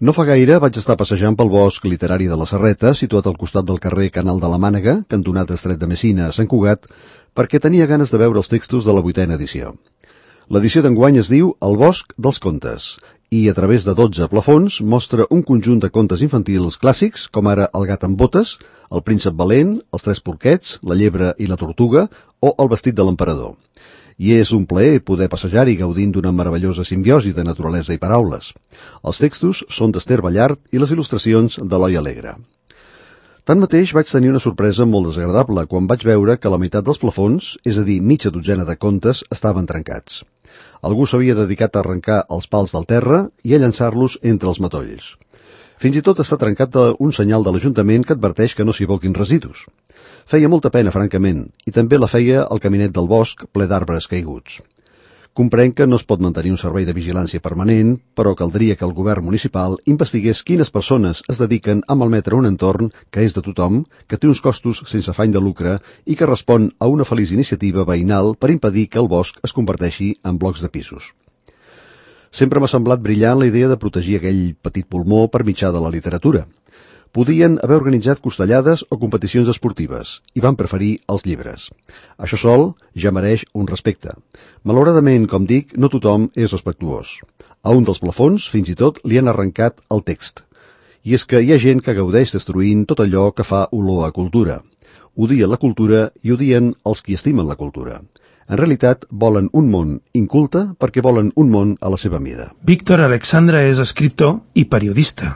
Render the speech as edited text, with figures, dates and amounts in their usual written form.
No fa gaire vaig estar passejant pel bosc literari de la Serreta, situat al costat del carrer Canal de la Mànega, cantonat Estret de Messina a Sant Cugat, perquè tenia ganes de veure els textos de la 8a edició. L'edició d'enguany es diu El bosc dels contes, i a través de 12 plafons mostra un conjunt de contes infantils clàssics, com ara El gat amb botes, El príncep valent, Els tres porquets, La llebre i la tortuga, o El vestit de l'emperador. I és un plaer poder passejar-hi gaudint d'una meravellosa simbiosi de naturalesa i paraules. Els textos són d'Ester Ballart i les il·lustracions d'Eloi Alegre. Tanmateix vaig tenir una sorpresa molt desagradable quan vaig veure que la meitat dels plafons, és a dir, mitja dotzena de contes, estaven trencats. Algú s'havia dedicat a arrencar els pals del terra i a llançar-los entre els matolls. Fins i tot està trencat un senyal de l'Ajuntament que adverteix que no s'hi aboquin residus. Feia molta pena, francament, i també la feia el caminet del bosc ple d'arbres caiguts. Comprenc que no es pot mantenir un servei de vigilància permanent, però caldria que el govern municipal investigués quines persones es dediquen a malmetre un entorn que és de tothom, que té uns costos sense afany de lucre i que respon a una feliç iniciativa veïnal per impedir que el bosc es converteixi en blocs de pisos. Sempre m'ha semblat brillant la idea de protegir aquell petit pulmó per mitjà de la literatura. Podien haver organitzat costellades o competicions esportives i van preferir els llibres. Això sol ja mereix un respecte. Malauradament, com dic, no tothom és respectuós. A un dels plafons, fins i tot, li han arrencat el text. I és que hi ha gent que gaudeix destruint tot allò que fa olor a cultura. Odien la cultura i odien els qui estimen la cultura. En realitat, volen un món inculte perquè volen un món a la seva mida. Víctor Alexandre és escriptor i periodista.